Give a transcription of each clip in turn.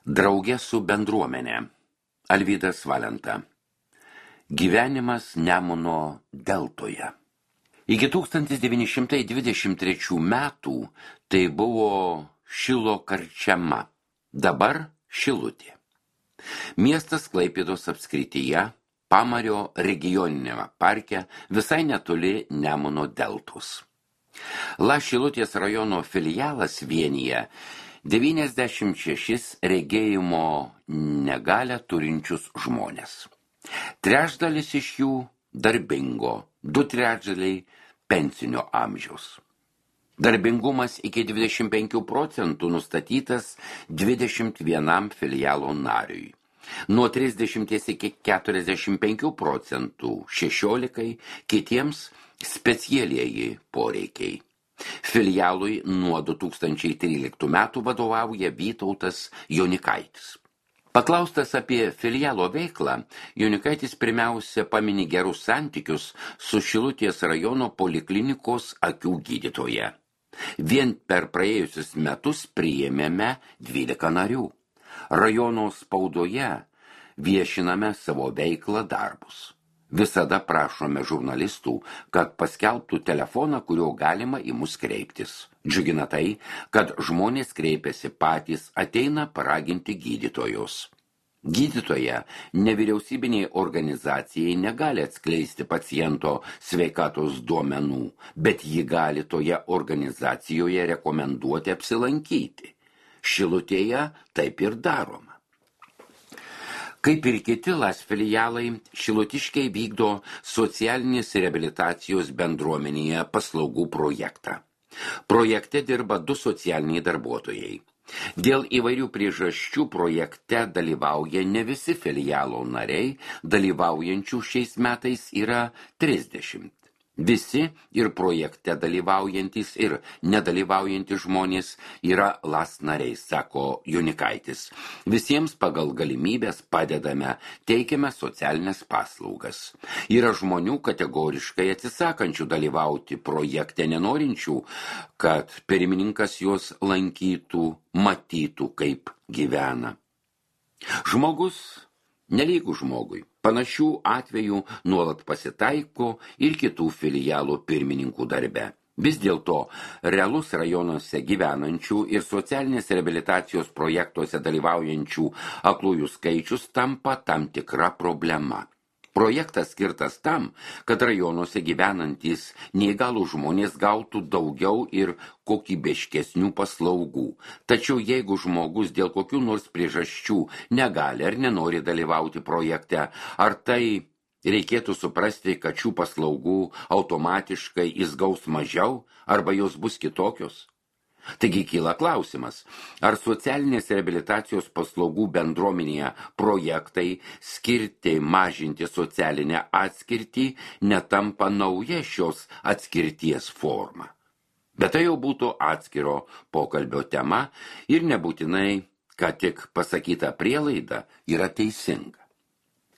Draugė su bendruomenė. Alvydas Valenta. Gyvenimas Nemuno deltoje. Iki 1923 metų tai buvo Šilo karčiama, dabar Šilutė. Miestas Klaipėdos apskrityje, Pamario regioninėme parke, visai netoli Nemuno deltos. Šilutės rajono filialas vienyje 96 regėjimo negalią turinčius žmonės. Trečdalis iš jų darbingo, 2/3 pensinio amžiaus. Darbingumas iki 25% nustatytas 21 filialo nariui. Nuo 30 iki 45% 16 kitiems specialieji poreikiai. Filialui nuo 2013 metų vadovauja Vytautas Jonikaitis. Paklaustas apie filialo veiklą, Jonikaitis pirmiausia pamini gerus santykius su Šilutės rajono poliklinikos akių gydytoja. Vien per praėjusius metus priėmėme 12 narių. Rajono spaudoje viešiname savo veiklą darbus. Visada prašome žurnalistų, kad paskelbtų telefoną, kuriuo galima į mus kreiptis. Džiugina tai, kad žmonės kreipiasi patys, ateina paraginti gydytojus. Gydytoja nevyriausybiniai organizacijai negali atskleisti paciento sveikatos duomenų, bet ji gali toje organizacijoje rekomenduoti apsilankyti. Šilutėje taip ir daroma. Kaip ir kiti filialai, šilutiškiai vykdo socialinės reabilitacijos bendruomenėje paslaugų projektą. Projekte dirba 2 socialiniai darbuotojai. Dėl įvairių priežasčių projekte dalyvauja ne visi filialo nariai, dalyvaujančių šiais metais yra 30. Visi ir projekte dalyvaujantis ir nedalyvaujantis žmonės yra nariai, sako Jonikaitis. Visiems pagal galimybės padedame, teikiame socialinės paslaugas. Yra žmonių kategoriškai atsisakančių dalyvauti projekte, nenorinčių, kad pirmininkas juos lankytų, matytų, kaip gyvena. Žmogus nelygų žmogui. Panašių atvejų nuolat pasitaiko ir kitų filialų pirmininkų darbe. Vis dėlto realus rajonuose gyvenančių ir socialinės reabilitacijos projektuose dalyvaujančių aklųjų skaičius tampa tam tikra problema. Projektas skirtas tam, kad rajonuose gyvenantys neįgalų žmonės gautų daugiau ir kokybiškesnių paslaugų. Tačiau jeigu žmogus dėl kokių nors priežasčių negali ar nenori dalyvauti projekte, ar tai reikėtų suprasti, kad šių paslaugų automatiškai jis gaus mažiau arba jos bus kitokios? Taigi kyla klausimas, ar socialinės reabilitacijos paslaugų bendruomenėje projektai skirti mažinti socialinę atskirtį netampa nauja šios atskirties forma. Bet tai jau būtų atskiro pokalbio tema ir nebūtinai, kad tik pasakyta prielaida yra teisinga.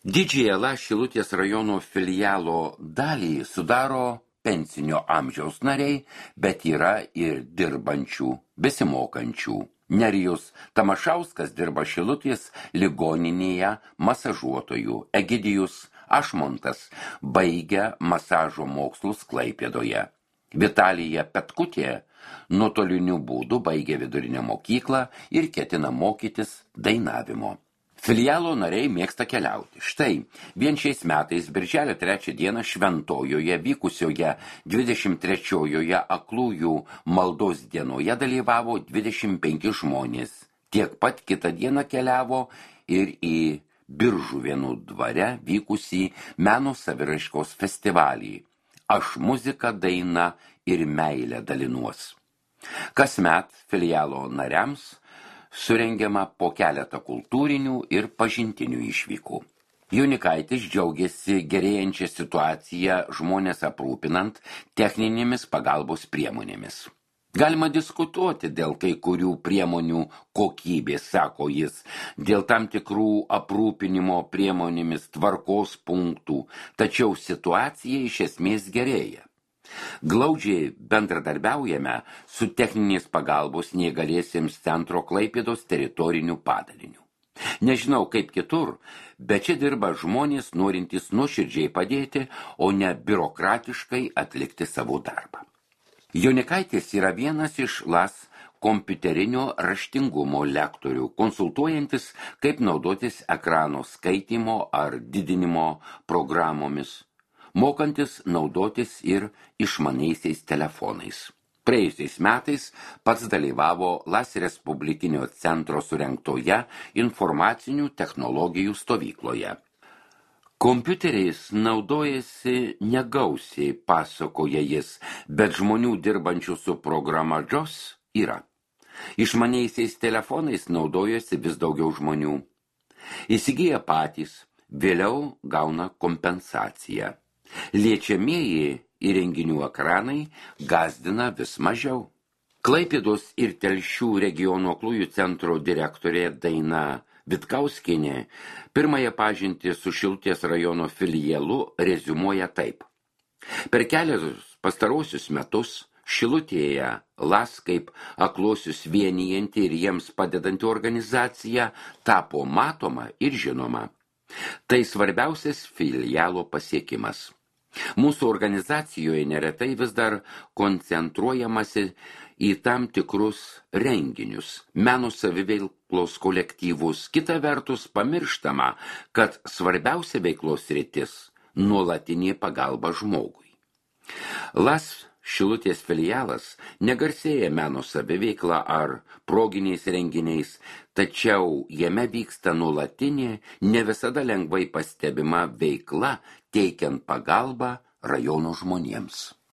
Didžiąją Šilutės rajono filialo dalį sudaro pensinio amžiaus nariai, bet yra ir dirbančių, besimokančių. Nerijus Tamašauskas dirba Šilutės ligoninėje masažuotojų. Egidijus Ašmontas baigia masažo mokslus Klaipėdoje. Vitalija Petkutė nuotoliniu būdu baigė vidurinę mokyklą ir ketina mokytis dainavimo. Filialo nariai mėgsta keliauti. Štai, vien šiais metais, birželio 3 dieną Šventojoje vykusioje 23-oje aklųjų maldos dienoje dalyvavo 25 žmonės. Tiek pat kitą dieną keliavo ir į Biržuvėnų dvare vykusį meno saviraiškos festivalį. Aš muziką, dainą ir meilę dalinuos. Kasmet filialo nariams surengiama po keletą kultūrinių ir pažintinių išvykų. Jonikaitis džiaugiasi gerėjančią situaciją žmonės aprūpinant techninėmis pagalbos priemonėmis. Galima diskutuoti dėl kai kurių priemonių kokybės, sako jis, dėl tam tikrų aprūpinimo priemonėmis tvarkos punktų, tačiau situacija iš esmės gerėja. Glaudžiai bendradarbiaujame su techninės pagalbos neįgaliesiems centro Klaipėdos teritoriniu padaliniu. Nežinau kaip kitur, bet čia dirba žmonės norintys nuoširdžiai padėti, o ne biurokratiškai atlikti savo darbą. Jonikaitis yra vienas iš LAS kompiuterinio raštingumo lektorių, konsultuojantis, kaip naudotis ekrano skaitymo ar didinimo programomis, mokantis naudotis ir išmaniaisiais telefonais. Praėjusiais metais pats dalyvavo LAS Respublikinio centro surengtoje informacinių technologijų stovykloje. Kompiuteriais naudojasi negausiai, pasakoja jis, bet žmonių dirbančių su programa JOS yra. Išmaniaisiais telefonais naudojasi vis daugiau žmonių. Įsigyja patys, vėliau gauna kompensaciją. Liečiamieji įrenginių ekranai gąsdina vis mažiau. Klaipėdos ir Telšių regiono aklųjų centro direktorė Daina Vitkauskienė pirmąją pažintį su Šilutės rajono filialu reziumuoja taip. Per kelius pastarosius metus Šilutėje LAS kaip aklosius vienijanti ir jiems padedanti organizacija tapo matoma ir žinoma. Tai svarbiausias filialo pasiekimas. Mūsų organizacijoje neretai vis dar koncentruojamasi į tam tikrus renginius, meno saviveiklos kolektyvus. Kita vertus pamirštama, kad svarbiausia veiklos sritis – nuolatinė pagalba žmogui. LAS Šilutės filialas negarsėja meno saviveikla ar proginiais renginiais, tačiau jame vyksta nuolatinė, ne visada lengvai pastebima veikla, teikiant pagalbą rajono žmonėms.